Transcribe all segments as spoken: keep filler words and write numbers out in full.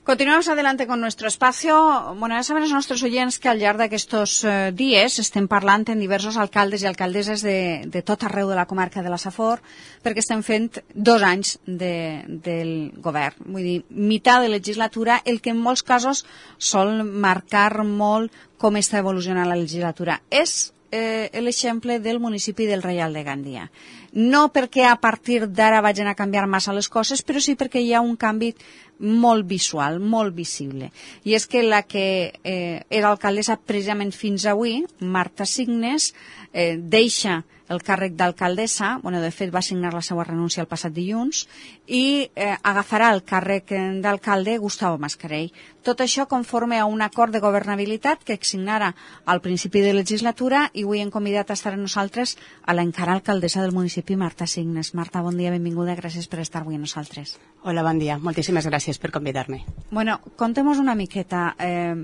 Continuamos adelante con nuestro espacio. Bueno, ja saben els nostres oients que al llarg d'aquests eh, dies estem parlant amb diversos alcaldes i alcaldesses de, de tot arreu de la comarca de la Safor, perquè estem fent dos anys de, del govern. Vull dir, meitat de legislatura, el que en molts casos sol marcar molt com està evolucionant la legislatura. És eh, l'exemple del municipi del Reial de Gandia. No perquè a partir d'ara vagin a canviar massa les coses, però sí perquè hi ha un canvi molt visual, molt visible. I és que la que eh, era alcaldessa precisament fins avui, Marta Signes, eh, deixa el càrrec d'alcaldessa, bueno, de fet va signar la seva renúncia el passat dilluns, i eh, agafarà el càrrec d'alcalde Gustavo Mascarell. Tot això conforme a un acord de governabilitat que signara al principi de legislatura, i avui hem convidat a estar amb nosaltres a l'encara alcaldessa del municipi, Marta Signes. Marta, bon dia, benvinguda, gràcies per estar avui amb nosaltres. Hola, bon dia, moltíssimes gràcies per convidar-me. Bueno, contem-nos una miqueta, eh,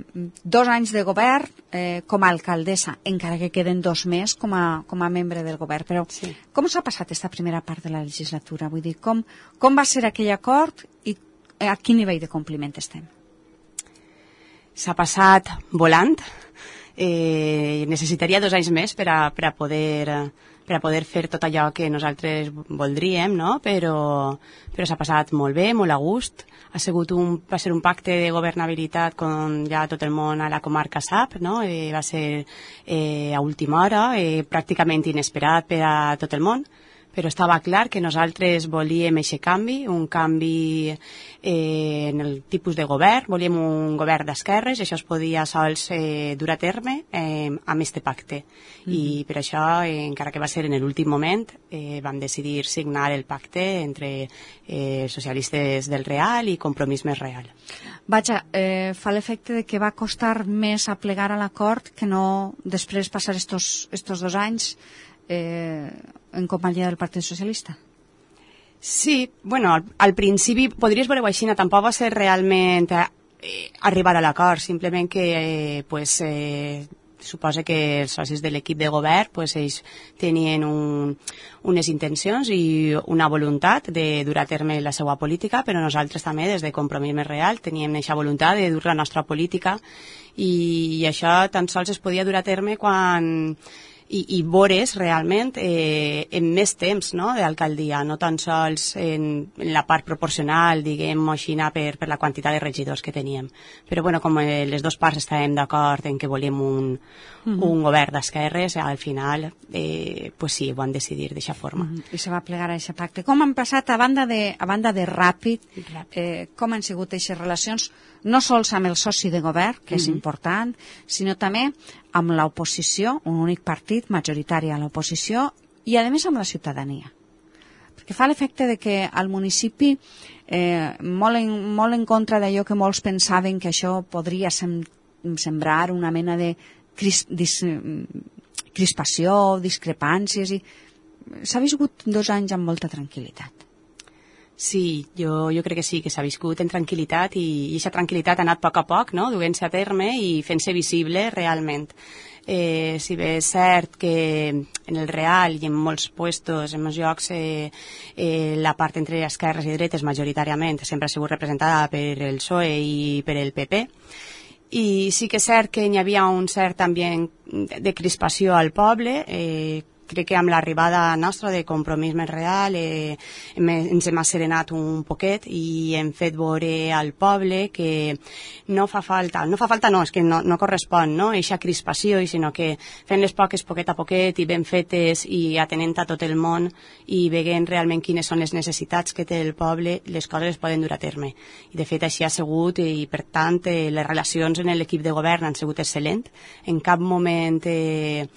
dos anys de govern eh, com a alcaldessa, encara que queden dos més com a, com a membre del govern, però sí. Com s'ha passat aquesta primera part de la legislatura? Vull dir, com, com va ser aquell acord i a quin nivell de compliment estem? S'ha passat volant. Eh, necessitaria dos anys més per a, per a poder... per a poder fer tot allò que nosaltres voldríem, no? Però, però s'ha passat molt bé, molt a gust. Ha sigut un, va ser un pacte de governabilitat com ja tot el món a la comarca sap, no? Eh, va ser eh, a última hora, eh, pràcticament inesperat per a tot el món, però estava clar que nosaltres volíem aquest canvi, un canvi eh, en el tipus de govern, volíem un govern d'esquerres, això es podia sols eh, dur a terme eh, amb este pacte. Mm-hmm. I per això, eh, encara que va ser en l'últim moment, eh, vam decidir signar el pacte entre eh, socialistes del Real i Compromís Més Real. Vaja, eh, fa l'efecte de que va costar més aplegar a l'acord que no després passar estos, estos dos anys eh, en companyia del Partit Socialista. Sí, bueno, al, al principi podries veure-ho així, tampoc va ser realment eh, arribar a l'acord, simplement que eh, pues, eh, suposa que els socis de l'equip de govern pues, ells tenien un, unes intencions i una voluntat de dur a terme la seva política, però nosaltres també des de Compromís Més Real teníem aquesta voluntat de dur la nostra política i, i això tan sols es podia dur a terme quan... I, i veures realment eh, en més temps, no?, d'alcaldia, no tan sols en, en la part proporcional, diguem-ho així, per, per la quantitat de regidors que teníem. Però bueno, com eh, les dues parts estàvem d'acord en que volíem un, uh-huh. un govern d'esquerres, al final, eh, pues sí, ho van decidir d'aquesta forma. Uh-huh. I se va plegar a aquest pacte. Com han passat, a banda de, a banda de ràpid, eh, com han sigut aquestes relacions, no sols amb el soci de govern, que és uh-huh. important, sinó també amb l'oposició, un únic partit majoritari a l'oposició, i a més amb la ciutadania. Perquè fa l'efecte de que al municipi, eh, molt, en, molt en contra d'allò que molts pensaven que això podria sem sembrar una mena de cris dis crispació, discrepàncies, i s'ha viscut dos anys amb molta tranquil·litat. Sí, jo, jo crec que sí, que s'ha viscut en tranquil·litat i aquesta tranquil·litat ha anat a poc a poc, no?, duent-se a terme i fent-se visible realment. Eh, si bé és cert que en el Real i en molts puestos, en molts llocs, eh, eh, la part entre esquerres i dretes majoritàriament sempre ha sigut representada per el P S O E i per el P P, i sí que és cert que hi havia un cert ambient de crispació al poble. eh, Crec que amb l'arribada nostra de Compromís Més Real eh, ens hem asserenat un poquet i hem fet veure al poble que no fa falta, no fa falta no, és que no, no correspon, no?, eixa crispació, sinó que fent les poques poquet a poquet i ben fetes i atenent a tot el món i veient realment quines són les necessitats que té el poble, les coses es poden dur a terme. I de fet així ha sigut i per tant eh, les relacions en l'equip de govern han sigut excel·lents. En cap moment eh,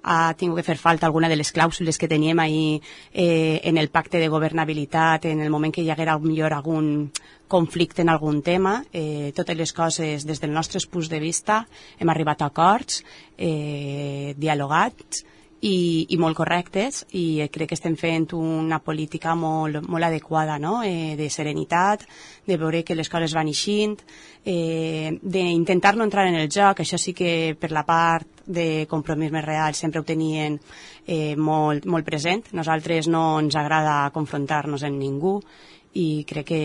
ha tingut que fer falta alguna de les clàusules que teníem ahir eh, en el pacte de governabilitat, en el moment que hi haguera millor algun conflicte en algun tema. Eh, totes les coses, des del nostre punt de vista, hem arribat a acords, eh, dialogats i, i molt correctes, i crec que estem fent una política molt, molt adequada, no?, eh, de serenitat, de veure que les coses van eixint, eh, d'intentar no entrar en el joc. Això sí que per la part de Compromís Més Real sempre ho tenien eh, molt, molt present. Nosaltres no ens agrada confrontar-nos amb ningú i crec que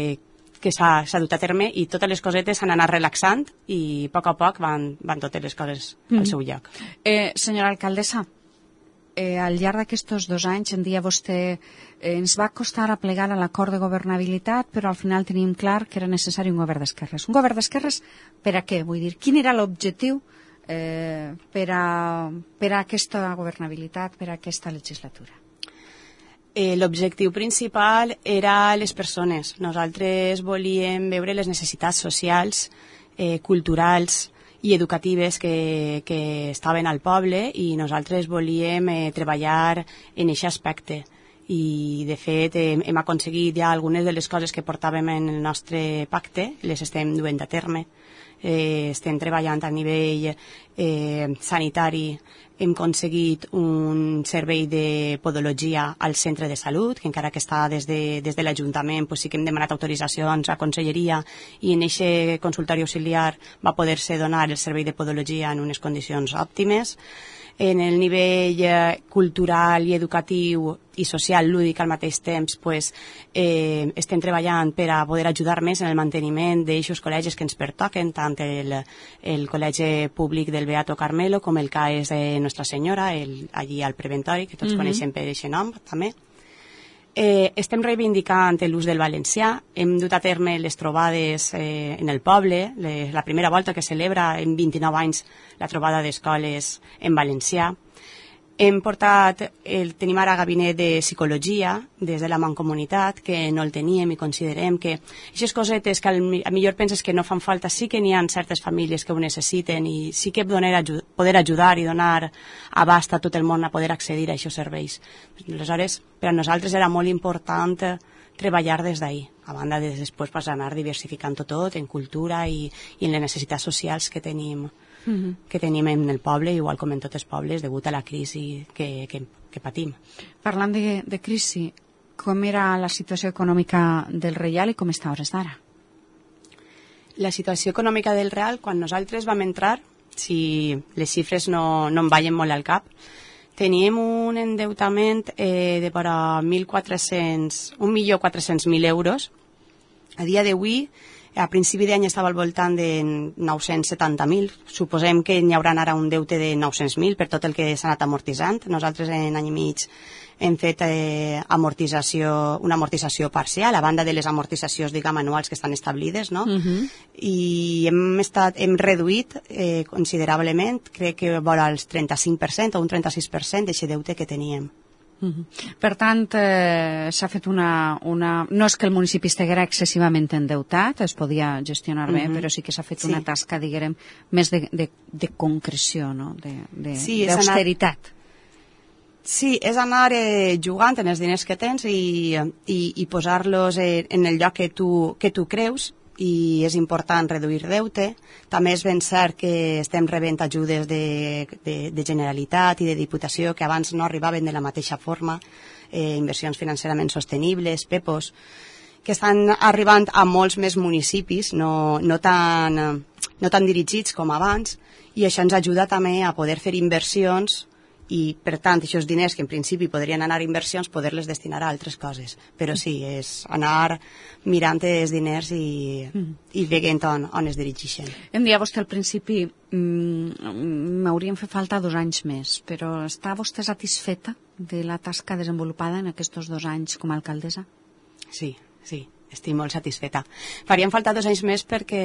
que s'ha dut a terme i totes les cosetes s'han anat relaxant i a poc a poc van, van totes les coses mm. al seu lloc. Eh, senyora alcaldessa, eh, al llarg d'aquests dos anys, en dia vostè, eh, ens va costar a plegar a l'acord de governabilitat, però al final tenim clar que era necessari un govern d'esquerres. Un govern d'esquerres per a què? Vull dir, quin era l'objectiu eh, per, a, per a aquesta governabilitat, per a aquesta legislatura? Eh, L'objectiu principal era les persones. Nosaltres volíem veure les necessitats socials, eh, culturals i educatives que, que estaven al poble i nosaltres volíem eh, treballar en aquest aspecte. I, de fet, eh, hem aconseguit ja algunes de les coses que portàvem en el nostre pacte, les estem duent a terme. Eh, estem treballant a nivell eh, sanitari. Hem aconseguit un servei de podologia al centre de salut, que encara que està des de, des de l'Ajuntament, pues sí que hem demanat autoritzacions a Conselleria i en aquest consultori auxiliar va poder-se donar el servei de podologia en unes condicions òptimes. En el nivell eh, cultural i educatiu i social lúdic al mateix temps, pues, eh, estem treballant per a poder ajudar més en el manteniment d'aixos col·legis que ens pertoquen, tant el, el Col·legi Públic del Beato Carmelo com el C A E S de Nostra Senyora, el, allí al Preventori, que tots mm-hmm. coneixem per aquest nom també. Eh, estem reivindicant l'ús del valencià, hem dut a terme les trobades eh, en el poble, les, la primera volta que celebra en vint-i-nou anys la trobada d'escoles en valencià. Hem portat, el, tenim ara gabinet de psicologia des de la Mancomunitat, que no el teníem i considerem que aquestes cosetes que al, a millor penses que no fan falta, sí que n'hi ha certes famílies que ho necessiten i sí que poder, ajud, poder ajudar i donar abast a tot el món a poder accedir a aquests serveis. Aleshores, per a nosaltres era molt important treballar des d'ahir, a banda de després pas anar diversificant tot en cultura i, i en les necessitats socials que tenim. Uh-huh. que tenim en el poble, igual com en tots els pobles, degut a la crisi que, que, que patim. Parlant de, de crisi, com era la situació econòmica del Reial i com està a hores d'ara? La situació econòmica del Real, quan nosaltres vam entrar, si les xifres no, no em ballen molt al cap, teníem un endeutament eh, de per a mil quatre-cents, un milió quatre-cents mil euros. A dia d'avui, a principi d'any estava al voltant de nou-cents setanta mil. Suposem que n'hi haurà ara un deute de nou-cents mil per tot el que s'ha anat amortitzant. Nosaltres en any i mig hem fet eh, amortització, una amortització parcial, a banda de les amortitzacions, diguem, anuals que estan establides, no? Uh-huh. I hem, estat, hem reduït eh, considerablement, crec que vora el trenta-cinc per cent o un trenta-sis per cent d'aquest deute que teníem. Uh-huh. Per tant, eh, s'ha fet una, una... No és que el municipi estiguera excessivament endeutat, es podia gestionar bé, uh-huh. però sí que s'ha fet sí. una tasca, diguem, més de, de, de concreció, no? De, de, sí, d'austeritat. Anar... Sí, és anar eh, jugant en els diners que tens i, i, i posar-los eh, en el lloc que tu, que tu creus, i és important reduir deute. També és ben cert que estem rebent ajudes de, de, de Generalitat i de Diputació que abans no arribaven de la mateixa forma, eh, inversions financerament sostenibles, P E P Os, que estan arribant a molts més municipis, no, no, tan, no tan dirigits com abans, i això ens ajuda també a poder fer inversions i, per tant, aquests diners que en principi podrien anar a inversions, poder-les destinar a altres coses. Però sí, és anar mirant els diners i, mm. i veient on, on es dirigeixen. Em deia vostè al principi, m'haurien fet falta dos anys més, però està vostè satisfeta de la tasca desenvolupada en aquests dos anys com a alcaldessa? Sí, sí, estic molt satisfeta. Farien falta dos anys més perquè...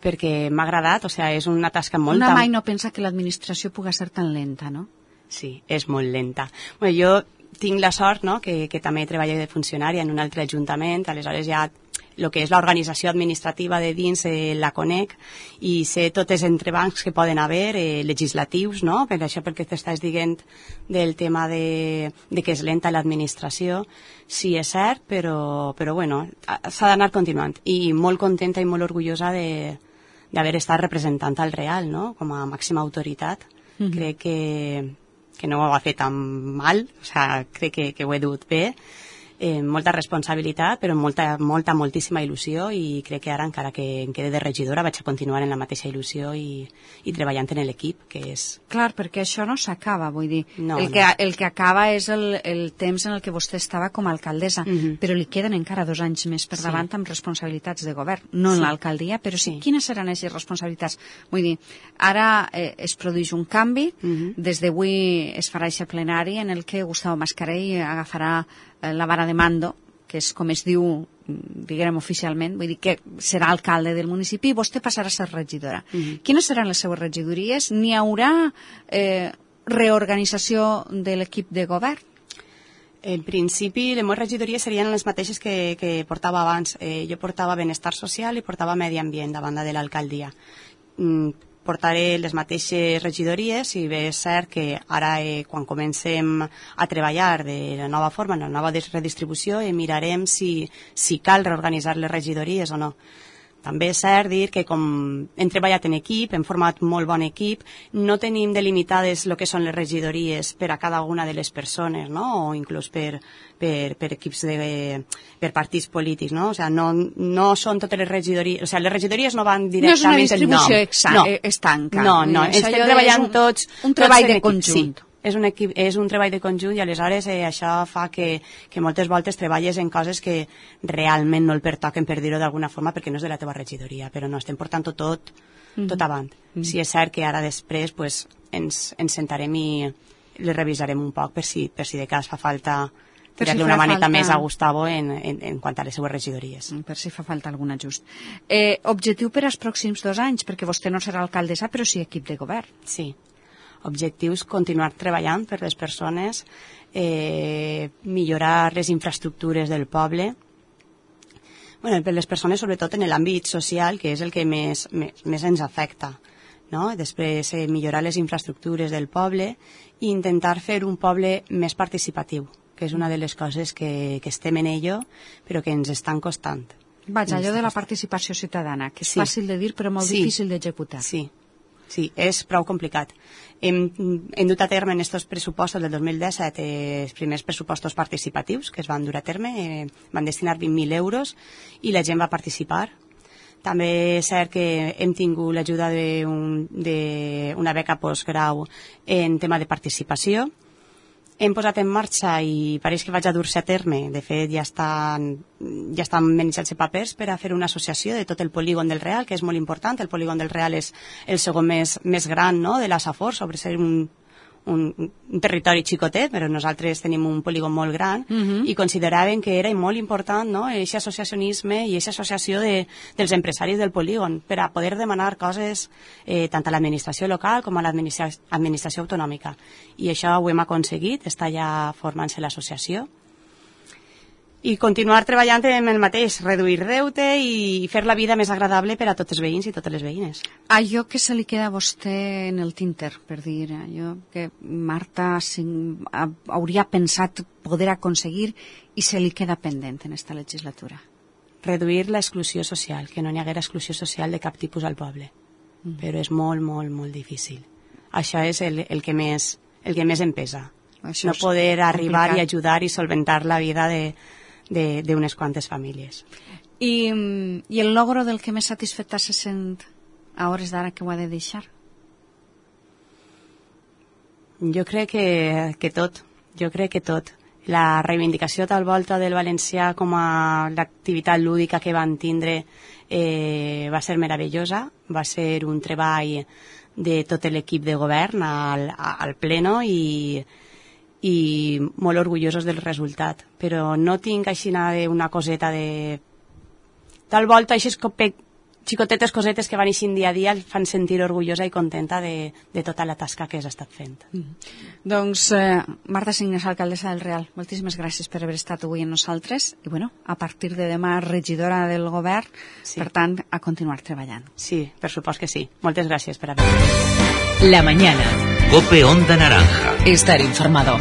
perquè m'ha agradat, o sigui, és una tasca molt... Una mai no pensa que l'administració pugui ser tan lenta, no? Sí, és molt lenta. Bueno, jo tinc la sort, no?, que, que també treballo de funcionària en un altre ajuntament, aleshores ja el que és l'organització administrativa de dins eh, la conec i sé tots els entrebancs que poden haver, eh, legislatius, no?, per això perquè t'estàs dient del tema de, de que és lenta l'administració. Sí, és cert, però, però bueno, s'ha d'anar continuant. I molt contenta i molt orgullosa de d'haver estat representant al Real, no?, com a màxima autoritat. Mm-hmm. Crec que, que no ho ha fet tan mal, o sigui, crec que, que ho he dut bé. eh, molta responsabilitat, però molta, molta, moltíssima il·lusió, i crec que ara, encara que em quede de regidora, vaig a continuar en la mateixa il·lusió i, i treballant en l'equip, que és... Clar, perquè això no s'acaba, vull dir, no, el, no. que, el que acaba és el, el temps en el que vostè estava com a alcaldessa, uh-huh. però li queden encara dos anys més per davant sí. amb responsabilitats de govern, no sí. en l'alcaldia, però sí. sí. Quines seran aquestes responsabilitats? Vull dir, ara eh, es produeix un canvi, uh-huh. des d'avui es farà aquest plenari en el que Gustavo Mascarell agafarà eh, la vara de mando, que és com es diu, diguem oficialment, vull dir que serà alcalde del municipi i vostè passarà a ser regidora. Uh-huh. Quines seran les seues regidories? N'hi haurà eh, reorganització de l'equip de govern? En principi, les meves regidories serien les mateixes que, que portava abans. Eh, jo portava benestar social i portava medi ambient, a banda de l'alcaldia. Mm, portaré les mateixes regidories, i bé és cert que ara, eh, quan comencem a treballar de la nova forma, en la nova redistribució, eh, mirarem si, si cal reorganitzar les regidories o no. També és cert dir que com hem treballat en equip, hem format molt bon equip, no tenim delimitades el que són les regidories per a cada una de les persones, no? O inclús per, per, per equips de, per partits polítics, no? O sea, no, no són totes les regidories, o sea, les regidories no van directament... No és una distribució exa, no. estanca. No, no, estem treballant un, tots... Un treball tots de conjunt. Sí. És un, equip, és un treball de conjunt, i aleshores eh, això fa que, que moltes voltes treballes en coses que realment no el pertoquen, per dir-ho d'alguna forma, perquè no és de la teva regidoria, però no, estem portant tot, mm-hmm. tot avant. Mm-hmm. Si és cert que ara després pues, ens, ens sentarem i les revisarem un poc per si, per si de cas fa falta tirar-li si una maneta falta... més a Gustavo en, en, en quant a les seues regidories. Per si fa falta algun ajust. Eh, objectiu per als pròxims dos anys, perquè vostè no serà alcaldessa, però sí equip de govern. Sí. Objectius, continuar treballant per les persones, eh, millorar les infraestructures del poble, bueno, per les persones sobretot en l'àmbit social, que és el que més, més, més ens afecta, no? Després eh, millorar les infraestructures del poble i intentar fer un poble més participatiu, que és una de les coses que, que estem en ello, però que ens estan costant. Vaja, allò de la participació ciutadana, que és sí. fàcil de dir però molt sí. difícil d'executar. Sí. Sí, és prou complicat. Hem, hem dut a terme en aquests pressupostos del dos mil disset eh, els primers pressupostos participatius que es van dur a terme, eh, van destinar vint mil euros i la gent va participar. També és cert que hem tingut l'ajuda d'una beca postgrau en tema de participació. Hem posat en marxa, i pareix que vaig a dur-se a terme, de fet ja estan, ja estan manejant-se papers per a fer una associació de tot el polígon del Real, que és molt important. El polígon del Real és el segon més, més gran, no?, de la Safor, sobre ser un, un, un territori xicotet, però nosaltres tenim un polígon molt gran, uh-huh. i consideraven que era molt important, no?, aquest associacionisme i aquesta associació de, dels empresaris del polígon per a poder demanar coses eh, tant a l'administració local com a l'administració autonòmica. I això ho hem aconseguit, està ja formant-se l'associació. I continuar treballant en el mateix, reduir deute i fer la vida més agradable per a tots els veïns i totes les veïnes. Allò que se li queda a vostè en el tinter, per dir, allò que Marta hauria pensat poder aconseguir i se li queda pendent en esta legislatura. Reduir l'exclusió social, que no n'hi haguera exclusió social de cap tipus al poble. Mm. Però és molt, molt, molt difícil. Això és el, el, que, més, el que més em pesa. Això no poder arribar complicat. I ajudar i solventar la vida de... d'unes quantes famílies. I, I el logro del que més satisfeta se sent a hores d'ara que ho ha de deixar? Jo crec que, que tot, jo crec que tot. La reivindicació tal volta del valencià com a l'activitat lúdica que van tindre eh, va ser meravellosa, va ser un treball de tot l'equip de govern al, al pleno i i molt orgullosos del resultat, però no tinc així una coseta de... Tal volta, aquestes xicotetes cosetes que van eixint dia a dia el fan sentir orgullosa i contenta de, de tota la tasca que has estat fent. Mm. Doncs, eh, Marta Signes, alcaldessa del Real, moltíssimes gràcies per haver estat avui amb nosaltres i, bueno, a partir de demà regidora del govern, sí. Per tant, a continuar treballant. Sí, per supost que sí. Moltes gràcies per haver-me. La mañana. Cope Onda Naranja. Estar informado.